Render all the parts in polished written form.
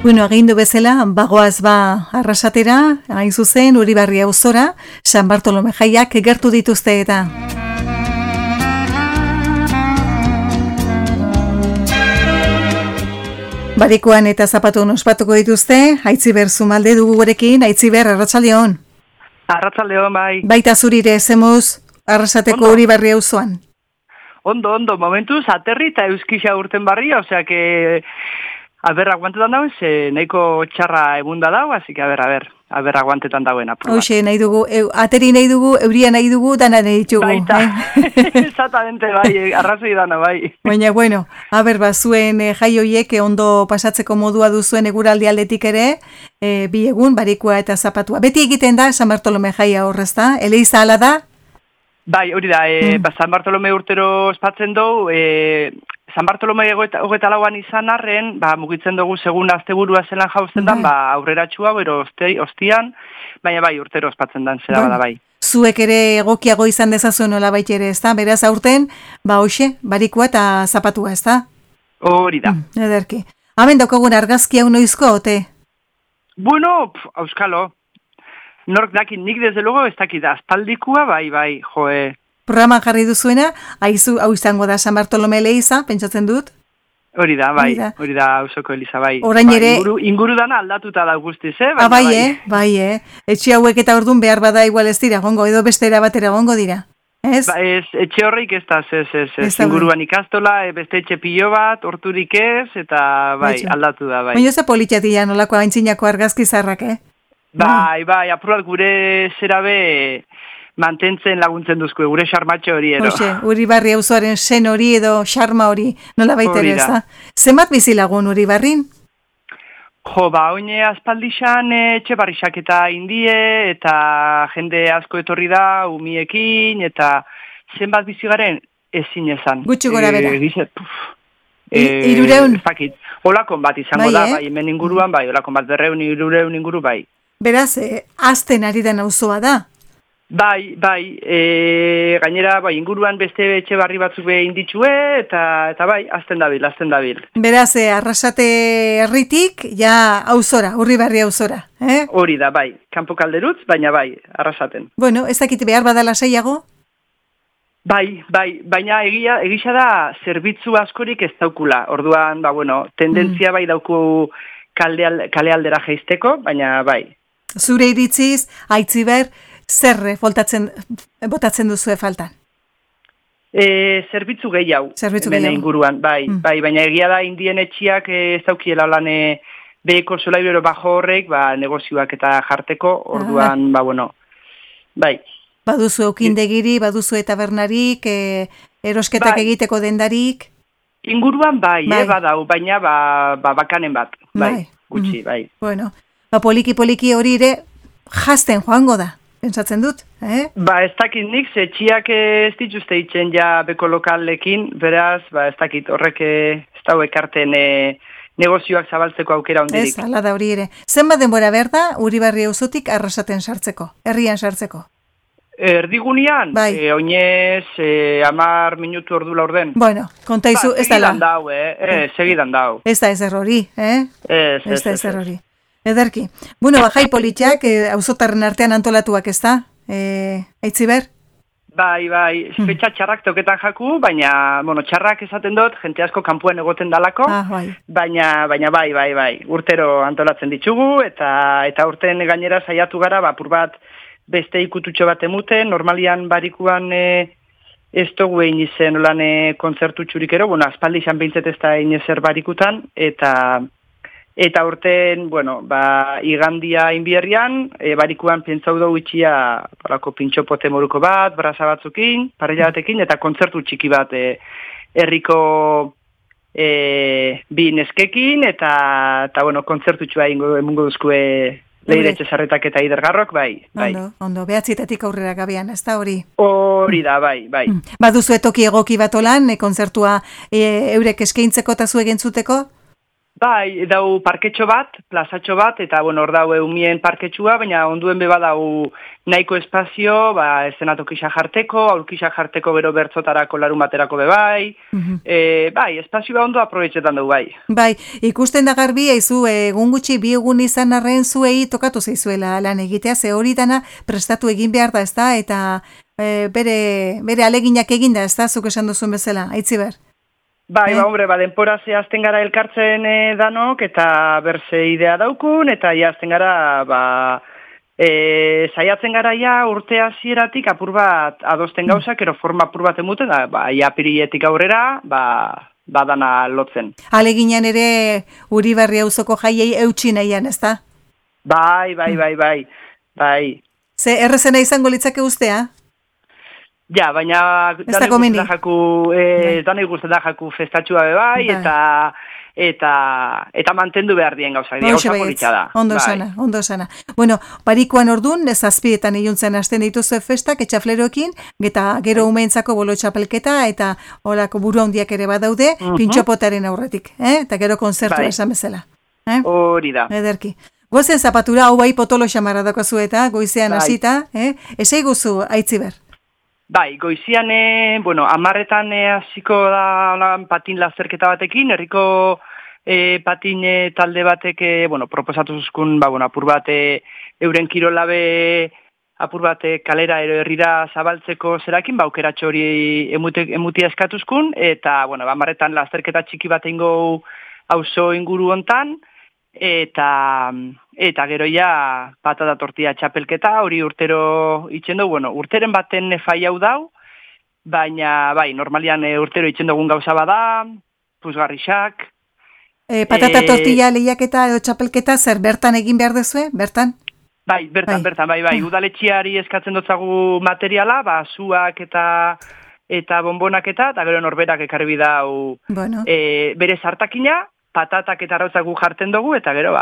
Bueno, agindu bezala, bagoaz Arrasatera, hain zuzen, Uribarri auzora, San Bartolome jaiak gertu dituzte eta. Barikuan eta zapatun ospatuko dituzte, Aitziber Zumalde dugu gurekin, Aitziber, arratsaldeon. Arratsaldeon, bai. Baita zurire, zemuz, Arrasateko Uribarri auzoan. Ondo, momentuz, aterri eta euskisa urten barri, osea que... aguantetan dauen, ze nahiko txarra egunda dago, así que aguantetan dauen apurra. Hoxe, nahi dugu, ateri nahi dugu, euria nahi dugu, dana nahi ditugu. Baita, exactamente, bai, arrazoi dana, bai. Baina, bueno, zuen jaioiek ondo pasatzeko modua duzuen eguraldi aldetik ere, bi egun, barikua eta zapatua. Beti egiten da, San Bartolome jaia horrezta, eleiza ala da? Bai, hori da, San Bartolome urtero espatzen dugu, San Bartolome hogeta lauan izan arren, mugitzen dugu segun asteburua zelan jauzen dan, aurreratxua, bero ostian, baina bai, urtero ospatzen dan, zera bada bai. Zuek ere egokiago izan dezazuen nola ere, ez da? Beraz aurten, hoxe, barikua eta zapatua, ez da? Hori da. Ederki. Hemen daukagun argazki hau noizko, ote? Bueno, auskalo. Nork dakit, nik desde luego ez dakit, aspaldikua, bai, joe. Programan jarri duzuena, hau izango da San Bartolome eleiza, pentsatzen dut? Hori da, bai, hori da ausoko eliza, bai. Orain ere... Inguru dana aldatuta da guztiz, bai. Etxe hauek eta ordun behar bada igual ez dira, gongo, edo bestera batera gongo dira, ez? Etxe horreik ez da, ez. Inguruan ikastola, beste etxe pilo bat, horturik ez, eta bai, aldatu da, bai. Baina ez da politxatia nolako aintzinako argazki zarrak, Bai, apurat gure zerabe... mantentzen laguntzen duzku, gure xarmatxo hori edo. Hoxe, Uribarri auzoaren sen hori edo xarma hori, nola baitere ez da. Zenbat bizilagun Uribarrin? Jo, oine aspaldixan etxe barrixak eta indie, eta jende asko etorri da, umiekin, eta zenbat bizigaren ezin ezan. Gutxi gora bera. Irureun? Olakon bat izango da, bai, hemen inguruan, bai, olakon bat 200-300 inguru, bai. Beraz, azten ari den auzoa da. Bai, gainera, inguruan beste etxe barri batzuk behin ditxue, eta bai, azten dabil. Beraz, Arrasate herritik, ja auzora, Uribarri auzora, Hori da, bai, kanpo kalderutz, baina bai, Arrasaten. Bueno, ez dakit behar badala saiago? Bai, baina egisa da zerbitzu askorik ez daukula, orduan, tendentzia bai dauku kale aldera jeisteko, baina bai. Zure iritziz, Aitziber, zer botatzen duzue faltan? Zerbitzu gehiago. Inguruan, bai, baina egia da indien etxiak ez daukiela lan beheko solaibero bajo horrek, negozioak eta jarteko, orduan, bai. Baduzu eukindegiri, baduzu tabernarik, erosketak egiteko dendarik? Inguruan bai, badau, baina bakanen bat, bai, gutxi, bai. Bueno, poliki hori ere jazten joango da. Pentsatzen dut, ez dakit nik, etxiak ez dituzte itzen ja beko lokallekin, beraz, ez dakit horrek ez dau ekarten negozioak zabaltzeko aukera ondirik. Ez, ala da hori ere. Zenbat denbora behar da, Uribarri auzotik Arrasaten sartzeko, herrian sartzeko? Erdigunean, oinez, 10 minutu ordu laurden. Bueno, kontaizu, ez da lan. Segidan dau. Ez da ezer hori, Ez da ezer hori. Ederki. Bueno, jai politxak, auzotarren artean antolatuak ez da? Aitziber? Bai, fetxa txarrak toketan jaku, baina, txarrak esaten dut, jente asko kanpuan egoten dalako, baina bai, urtero antolatzen ditugu, eta urten gainera saiatu gara, apur bat beste ikututxo bat emuten, normalian barikuan ez dugu egin izen olan kontzertu txurikero, aspaldi izan behintzet ez da egin ezer barikutan, eta urten, igandia inbierrian, barikuan pentsau dugu itxia pintxopote moruko bat, brasa batzukin, parrilla batekin, eta kontzertu txiki bat herriko bi neskekin, eta kontzertu txua emungo duzkue Leiretxe Zarretak eta Idergarrok, bai. Ondo, behatzitatik aurrera gabean, ez da hori? Hori da, bai. Baduzu etoki egoki bat olan, kontzertua eurek eskaintzeko eta zu egentzuteko? Bai, dau parketxo bat, plazatxo bat, eta hor dau eumien parketxua, baina onduen beba dau nahiko espazio, eszenatokisa jarteko, aurkisa jarteko bero bertzotarako larun baterako bebai, bai, espazioa ondo aprobetxetan dugu bai. Bai, ikusten da garbi, eizu, egun gutxi bi egun izan arren zuei tokatu zeizuela lan egitea, ze hori dana prestatu egin behar da, ezta, eta bere aleginak eginda, ezta, zuk esan duzun bezala, Aitziber? Bai, hombre, denpora zehazten gara elkartzen danok, eta berze idea daukun, eta jazten gara, saiatzen gara urte hasieratik apur bat adosten gauzak, ero forma apur bat emuten, pirietik aurrera, badana lotzen. Aleginan ere Uribarri auzoko jaiei eutsi nahian, ezta? Bai. Ze errezena izango litzake ustea? Ja, baina danei guztetan jaku festatxua bebai, eta mantendu behar dien gauzak, gauza politxa da. Ondo sana. Bueno, barikoan ordun, zazpietan iluntzen hasten dituzu festak, etxafleroekin, eta gero umeentzako bolo txapelketa, eta horako buru handiak ere badaude, pintxopotaren aurretik, eta gero konzertu esan bezala. Hori da. Ederki. Gozen zapatura, hau bai potolo xamarra dako zueta, goizean hasita, esei guzu, Aitziber. Bai, goizian, 10:00 hasiko da patin lasterketa batekin, herriko patin talde batek, proposatu zuzkun, apur bat euren kirolabe, apur bat kalera ero herrira zabaltzeko zerakin, aukeratxo hori emutia eskatuzkun, eta, 10:00 lasterketa txiki bat eingo auzo inguru hontan, eta gero ja patata tortilla txapelketa, hori urtero itxen dugu, urteren baten fai hau dau, baina, bai, normalian urtero itxen dugun gauza bada, puzgarrixak. Patata tortilla lehiaketa edo txapelketa zer bertan egin behar dezue, bertan? Bai, bertan, bai, udaletxiari eskatzen dutzagu materiala, zuak eta bonbonak eta gero norberak ekarri bidau bere sartakina, patatak eta arrautzak gu jartzen dugu, eta gero,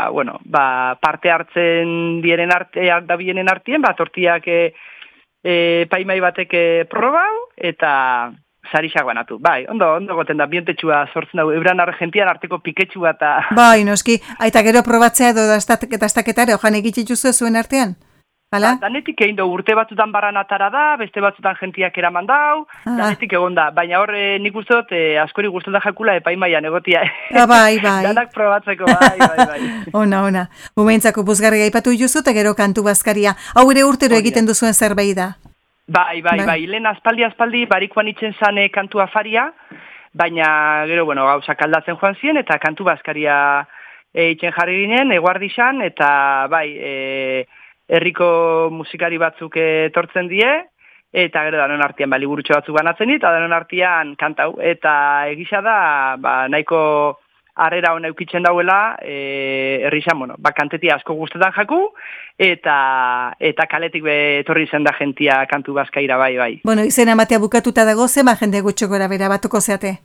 parte hartzen dienen artien, tortiak paimai batek probau, eta sarixak banatu. Bai, ondo goten da, bientetxua sortzen dugu, euran Argentian arteko piketxua eta... Bai, noski, eta gero probatzea edo dastaketare, ojan egitxitzuzu zuen artean? Danetik egin dugu, urte batzutan barran atara da, beste batzutan jentiak eraman dau, danetik egon da. Baina hor nik uste dut, askori guztota jakula epaimaian egotia. Bai. Danak probatzeko, bai. Ona. Umeentzako buzgarri gaipatu juzu, eta gero kantu bazkaria. Hau ere urtero egiten duzuen zerbait da. Bai. Lehen aspaldi, barikoan itzen zane kantu afaria, baina gero, gauzak aldatzen joan ziren, eta kantu bazkaria itzen jarri ginen, eguardixan, eta bai, herriko musikari batzuk etortzen die, eta gero danon artean liburutxo batzuk banatzen dit, eta danon artean kantau. Eta egisa da, nahiko harrera hona eukitzen dauela, herrixan, kanteti asko guztetan jaku, eta kaletik etorri zen da jentia kantu bazkaira, bai. Izena ematea bukatuta dago, zema jende gutxo gora bera batuko zeate?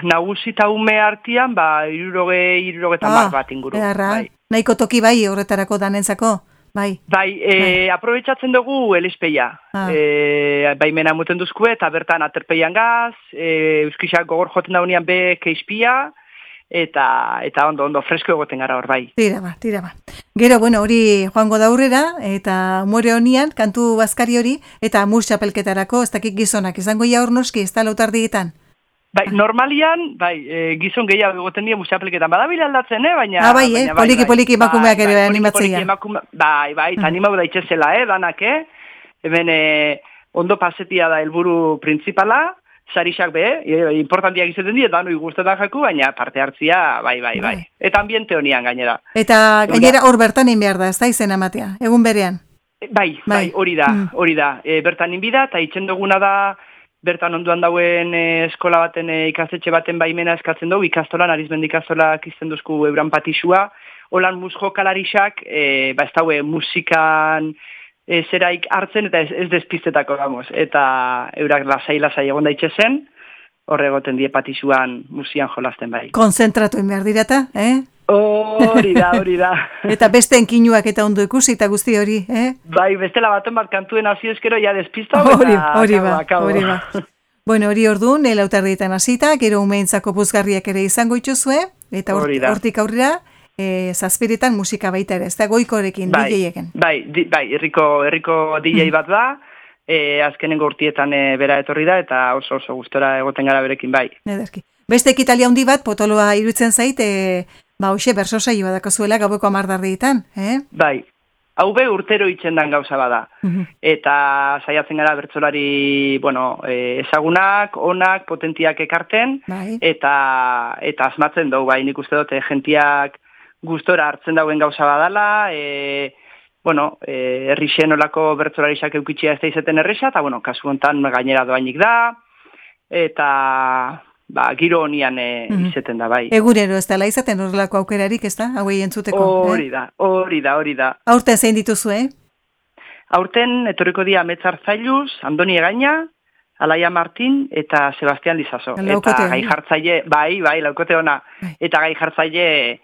Nagusi eta ume artean, 60 bat inguru. Bai. Nahiko toki bai horretarako danentzako, bai. Aprobetxatzen dugu elizpeia. Baimena muten duzku eta bertan aterpeian gaz, euskisak gogor joten daunean be keizpia, eta ondo fresko egoten gara hor, bai. Tira ba. Gero, hori joango da aurrera, eta umore honian, kantu bazkari hori, eta mur txapelketarako, ez dakik gizonak, izango ia hor noski, ez da lautardietan? Normalian, gizon gehiago egoten dira musapelketan badabila aldatzen, baina... poliki emakumeak ere animatzea. Bai, eta animau da itxezela, danak, hemen ondo pasetia da helburu principala, sarixak importantiak izaten dira, danoi guztetan jaku, baina parte hartzia, bai. Eta ambiente honian gainera. Eta gainera hor bertan behar da, ez da izena matea, egun berean? Bai, hori da. Bertan inbida, eta itxen duguna da, bertan onduan dauen eskola baten ikastetxe baten baimena eskatzen dugu, ikastolan, Arizmendi ikastolak izten duzku euran patixua, holan musjo kalarixak, ez daue musikan zeraik hartzen, eta ez despiztetako, eta eurak lasai egon daitxe zen, horre egoten die patixuan musian jolazten bai. Konzentratu behar dirata, Hori da. Eta beste enkinuak eta ondo ikusi eta guzti hori, Bai, bestela baten bat kantuen hasi eskero, ja despista. Hori ba. Hori orduan, lautardietan hasita, gero umeentzako puzgarriak ere izango itxuzue, eta hortik aurrera, zazpiretan musika baita ere, ez da goikorekin, DJ-eken. Bai, herriko DJ bat da, azkenengo urtietan bera etorri da, eta oso gustora egoten gara berekin, bai. Ederki. Beste ekitalia handi bat, potoloa iruditzen zait, hoxe, berso saioa dakazuela gaueko 10 Bai, hau be urtero itxendan gauza bada. Eta saiatzen gara bertsolari, ezagunak, onak, potentiak ekarten, eta asmatzen dugu, bai, nik uste dute, jentiak gustora hartzen dauen gauza badala, herrixen olako bertsolarisak eukitxea ez da izeten erresa, eta, kasu hontan gainera doainik da, eta giro honian izeten da, bai. Egurero ez dela izaten horrelako aukerarik, ez da? Hauei entzuteko. Hori da. Aurten zein dituzu, Aurten etorriko dia Metzar Zailuz, Andoni Egaina, Alaia Martin eta Sebastian Lizaso. Eta gai jartzaile, bai, laukote ona. Eta gai jartzaile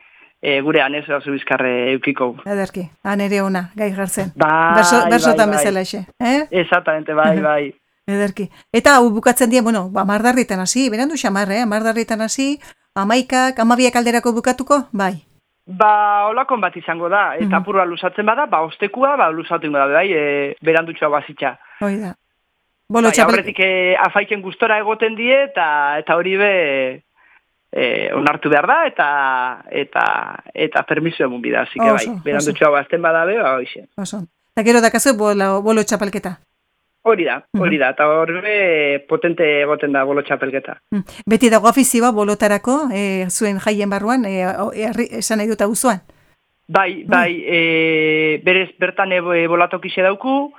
gure anez oso bizkarre eukiko. Ederki, ere ona, gai jartzen. Bersotan bezala exe. Exactamente, bai. Ederki. Eta bukatzen dien, 10 hasi, berandu xamar, 10 hasi, 11, 12 alderako bukatuko, bai. Olakon bat izango da, eta apurua lusatzen bada, ostekua, lusatu ingo da, bai, berandutxoa bazitxa. Hoi da. Horretik afaiken gustora egoten die, eta hori be onartu behar da, eta permiso emun bida, así que bai, berandutxoa bazten bada be, hoxe. Eta gero dakazu bolo txapelketa. Hori da, eta horre potente egoten da bolo txapelketa. Beti dago afizioa bolotarako, zuen jaien barruan, esan nahi dut auzoan? Bai, berez bertan bolatokixe dauku,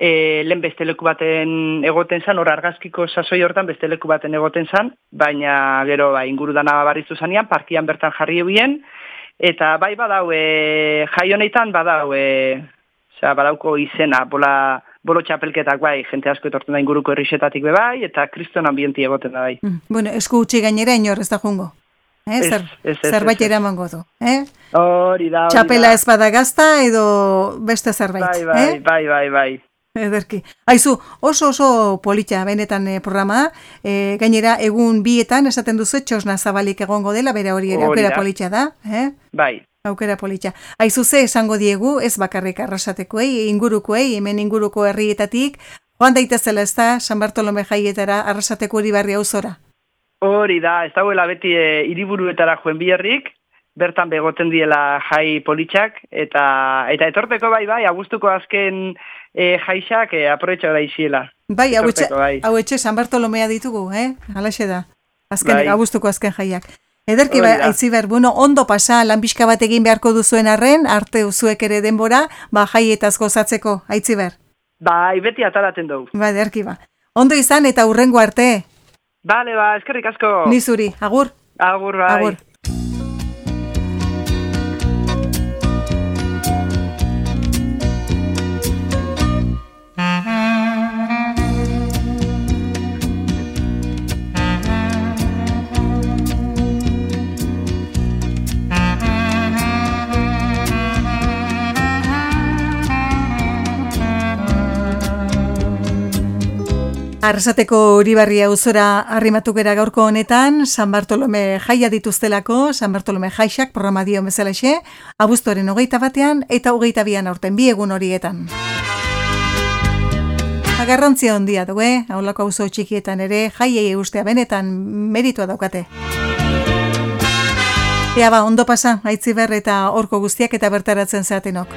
lehen beste leku baten egoten zan, hor argazkiko sasoi hortan beste leku baten egoten zan, baina gero inguru dana barrizu zanean, parkian bertan jarri ebien, eta bai badau, jai honetan badauko izena, bolo txapelketak bai, jente asko etorten da inguruko herrixetatik bai, eta kriston ambienti egoten da bai. Esku utzi gainera inor ez da jungo. Zerbait eramango du. Hori da. Txapela ez bada gazta edo beste zerbait. Bai. Ederki. Aizu, oso polita benetan programa, gainera egun 2etan esaten duzu txosna zabalik egongo dela, bere hori ere aukera polita da. Bai. Aukera polita. Aizu ze esango diegu, ez bakarrik arrasatekoei, ingurukoei, hemen inguruko herrietatik, joan daitezela ez da, San Bartolome jaietara arrasateko Uribarri auzora? Hori da, ez dagoela beti hiriburuetara joen biherrik, bertan begoten diela jai politxak, eta etorteko bai, abuztuko azken jaixak aproetxo da iziela. Bai, hau etxe San Bartolomea ditugu, halaxe da, abuztuko azken jaiak. Ederki Aitziber, ondo pasa, lanbixka bat egin beharko duzuen arren, arte uzuek ere denbora, jaietaz gozatzeko, Aitziber. Bai, beti ataraten dugu. Ederki Ondo izan eta hurrengo arte. Bale, eskerrik asko. Nizuri, agur. Agur, bai. Agur. Arrasateko Uribarri auzora arrimatu gera gaurko honetan, San Bartolome jaia dituztelako, San Bartolome jaixak programa dio bezalaxe, abuztuaren 21 eta 22 aurten, 2 egun horietan. Garrantzia handia du, haulako auzo txikietan ere, jaiei ustea benetan meritua daukate. Ea ondo pasa, Aitziber eta horko guztiak eta bertaratzen zatenok.